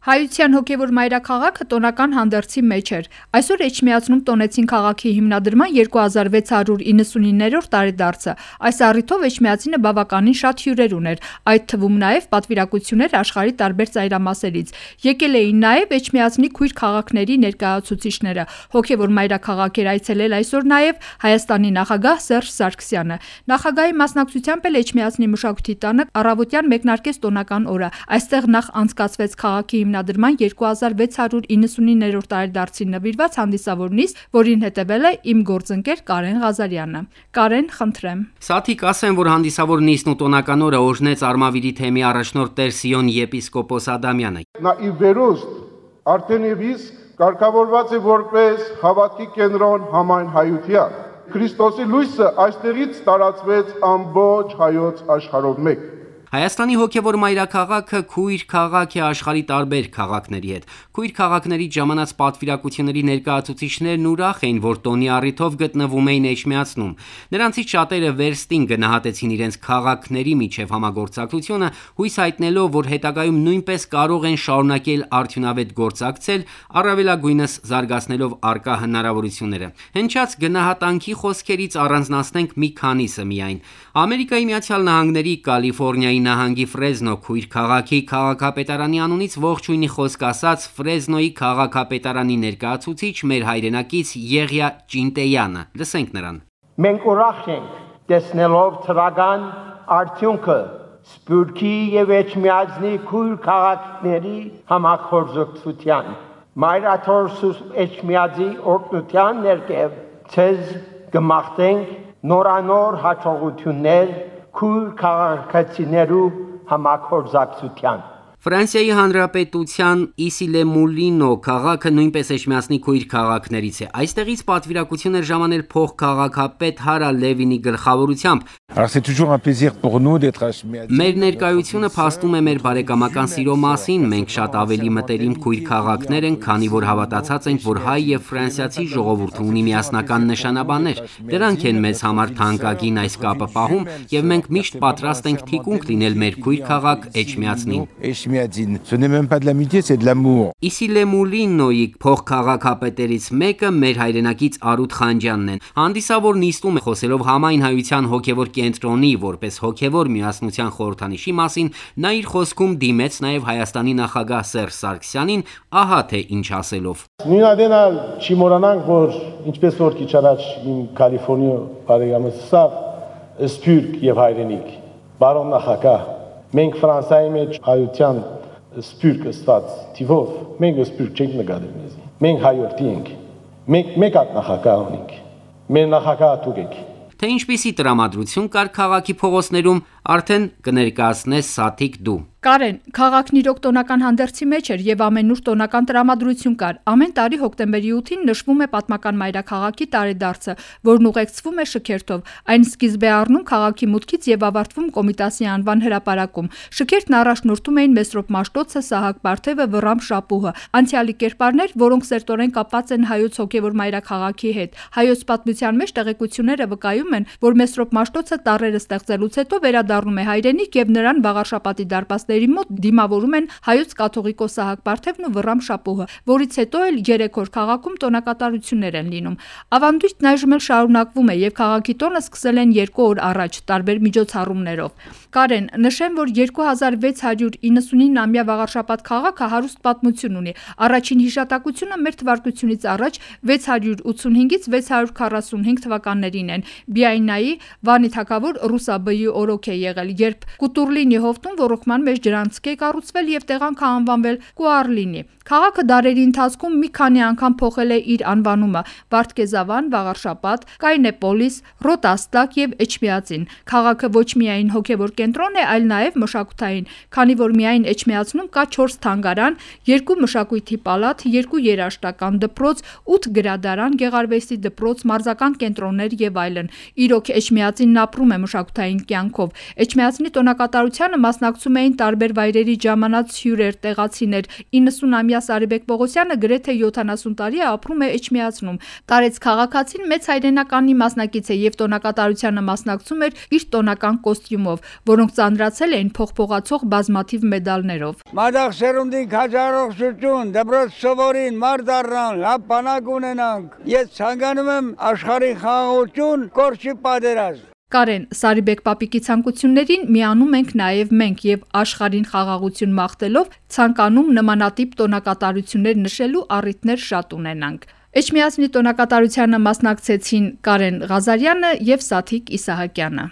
Հայության հոգևոր մայրաքաղաքը տոնական հանդերձի մեջ էր։ Այսօր Էջմիածնում տոնեցին քաղաքի հիմնադրման 2699-րդ տարեդարձը։ Այս առիթով Էջմիածինը բավականին շատ հյուրեր ուներ, այդ թվում նաև պատվիրակություններ աշխարհի տարբեր ծայրամասերից։ Եկել էին նաև Էջմիածնի քույր քաղաքների ներկայացուցիչները։ Հոգևոր մայրաքաղաք էր այցելել այսօր նաև Հայաստանի նախագահ Սերժ Սարգսյանը։ Նախագահի մասնակցությամբ էլ Էջմիածնի մշակույթի տանը առավոտյան մեկնարկեց տոնական օրը։ Այստեղ նախ անցկացվեց քաղաքի հիմնադրման 2699-րդ տարեդարձին նվիրված հանդիսավոր նիստ, որին հետևել է իմ գործընկեր Կարեն Ղազարյանը։ Կարեն, խնդրեմ։ Սաթիկ ասեմ, որ հանդիսավոր նիստն ու տոնական օրը օրհնեց Արմավիրի թեմի առաջնորդ Տեր Սիոն եպիսկոպոս Ադամյանը։ Նա ի վերուստ արդեն եւ իսկ կարգավորված է որպես հավատքի կենտրոն համայն հայության։ Քրիստոսի լույսը այստեղից տարածվեց ամբողջ հայոց աշխարհով մեկ։ Հայաստանի հոգևոր մայրաքաղաքը քույր քաղաք է աշխարհի տարբեր քաղաքների հետ։ Քույր քաղաքներից ժամանած պատվիրակությունների ներկայացուցիչներն ուրախ էին, որ տոնի առիթով գտնվում էին Էջմիածնում։ Նրանցից շատերը վերստին գնահատեցին իրենց քաղաքների միջև համագործակցությունը, հույս հայտնելով, որ հետագայում նույնպես կարող են շարունակել արդյունավետ գործակցել, առավելագույնս զարգացնելով առկա հնարավորությունները։ Հնչած գնահատանքի խոսքերից առանձնացնենք մի քանիսը միայն։ Ամերիկայի Միացյալ Նահանգների Կալիֆոռնիայի նահանգի Ֆրեզնո քույր քաղաքի քաղաքապետարանի անունից ողջույնի խոսք ասաց Ֆրեզնոյի քաղաքապետարանի ներկայացուցիչ մեր հայրենակից Եղիա Ճինտեյանը։ Լսենք նրան։ Մենք ուրախ ենք տեսնելով թվական արդյունքը Սփյուռքի եւ Էջմիածնի քույր քաղաքների համախորձության։ Մայրաթորս Էջմիածի օրհնության ներքև ցեզ կմաղթենք նորանոր հաջողություններ քույր քաղաքացիներու համագործակցության։ Ֆրանսիայի Հանրապետության Իսիլե-Մուլինո քաղաքը նույնպես Էջմիածնի քույր քաղաքներից է։ Այստեղից պատվիրակություն էր ժամանել փոխքաղաքապետ Հարա Լևինի գլխավորությամբ։ Մեր ներկայությունը փաստում է մեր բարեկամական սիրո մասին։ Մենք շատ ավելի մտերիմ քույր քաղաքներ ենք, քանի որ հավատացած ենք, որ հայ եւ ֆրանսիացի ժողովուրդը ունի միասնական նշանաբաններ։ Դրանք են մեզ համար թանկագին այս կապը պահում, եւ մենք միշտ պատրաստ ենք թիկունք լինել մեր քույր քաղաք Էջմիածնին։ Ce n'est même pas de l'amitié, c'est de l'amour. Իսիլե-Մուլինոյի փոխքաղաքապետերից մեկը մեր հայրենակից Արութ Խանջյանն են։ Հանդիսավոր նիստում խոսելով համայն հայության հոգևոր կենտրոնի որպես հոգևոր միասնության խորհրդանիշի մասին, նա իր խոսքում դիմեց նաև Հայաստանի նախագահ Սերժ Սարգսյանին, ահա թե ինչ ասելով։ Նույնադենալ չի մոռանանք, որ ինչպես որ քիչ առաջ իմ Կալիֆոռնիա բարեկամս ասավ, սփյուռք եւ հայրենիք։ Բարոն նախագահ, մենք Ֆրանսիայի մեջ հայության սփյուռք ստաց տիվով, մենք սփյուռք չենք նկատել մեզ։ Մենք հայորդի ենք։ Մենք մեկ հատ նախագահ ունենք։ Մեր նախագահը դուք եք։ Թե ինչպիսի տրամադրություն կար քաղաքի փողոցներում, արդեն կներկայացնես Սաթիկ դու։ Կարեն, քաղաքն իրոք տոնական հանդերձի մեջ էր եւ ամենուր տոնական տրամադրություն կար։ Ամեն տարի հոկտեմբերի 8-ին նշվում է պատմական մայրաքաղաքի տարեդարձը, որն ուղեկցվում է շքերթով։ Այն սկիզբ է առնում քաղաքի մուտքից եւ ավարտվում Կոմիտասի անվան հրապարակում։ Շքերթն առաջնորդում էին Մեսրոպ Մաշտոցը, Սահակ Բարթևը, Վռամ Շապուհը, անցյալի կերպարներ, որոնք սերտորեն կապված են հայոց հոգևոր մայրաքաղաքի հետ։ Հայոց պատմության մեջ տեղեկությունները վկայում են, որ Մեսրոպ Մաշտոցը տառերը ստեղծելուց հետո վերադառնում է հայրենիք եւ նրան Վաղարշապատի դարպաս մոտ դիմավորում են հայոց կաթողիկոս Սահակ Բարթևն ու Վռամ Շապուհը, որից հետո էլ 3 օր քաղաքում տոնակատարություններ են լինում։ Ավանդույթն այժմ էլ շարունակվում է եւ քաղաքի տոնը սկսել են 2 օր առաջ տարբեր միջոցառումներով։ Կարեն, նշեմ, որ 2699-ամյա Վաղարշապատ քաղաքը հարուստ պատմություն ունի։ Առաջին հիշատակությունը մեր թվարկությունից առաջ 685-ից 645 թվականներին են։ Բիայնայի Վանի թագավոր Ռուսաբեի օրոք է եղել, երբ Կուտուրլինի հովտում ոռոգման մեջ ջրանցք է կառուցվել եւ տեղանքը անվանվել Կուարլինի։ Քաղաքը դարերի ընթացքում մի քանի անգամ փոխել է իր անվանումը՝ Վարդգեզավան, Վաղարշապատ, Կայնեպոլիս, Ռոտաստակ եւ Էջմիածին։ Քաղաքը ոչ միայն հոգեվոր կենտրոն է, այլ նաեւ մշակութային, քանի որ միայն Էջմիածնում կա 4 թանգարան, 2 մշակույթի պալատ, 2 երաժշտական դպրոց, 8 գրադարան, գեղարվեստի դպրոց, մարզական կենտրոններ եւ այլն։ Իրոք Էջմիածինն ապրում է մշակութային կյանքով։ Էջմիածնի տոնակատարությանը մասնակցում էին տարբեր վայրերի ժամանած հյուրեր, տեղացիներ, 90-ամյա Սարիբեկ Պողոսյանը գրեթե 70 տարի է ապրում է Էջմիածնում։ Տարեց քաղաքացին մեծ հայրենականի մասնակից է եւ տոնակատարությանը մասնակցում էր իր տոնական կոստյումով, որոնք ծանրացել էին փողփողացող բազմաթիվ մեդալներով։ Մադաղ սերունդին քաջարողություն, դպրոց սովորին, մարդ առնան, լավ բանակ ունենանք։ Ես ցանկանում եմ աշխարհի խաղաղություն, կորչի պատերազմ։ Կարեն, Սարիբեկ պապիկի ցանկություններին միանում ենք նաև մենք եւ աշխարհին խաղաղություն մաղթելով ցանկանում նմանատիպ տոնակատարություններ նշելու առիթներ շատ ունենանք։ Էջմիածնի տոնակատարությանը մասնակցեցին Կարեն Ղազարյանը եւ Սաթիկ Իսահակյանը։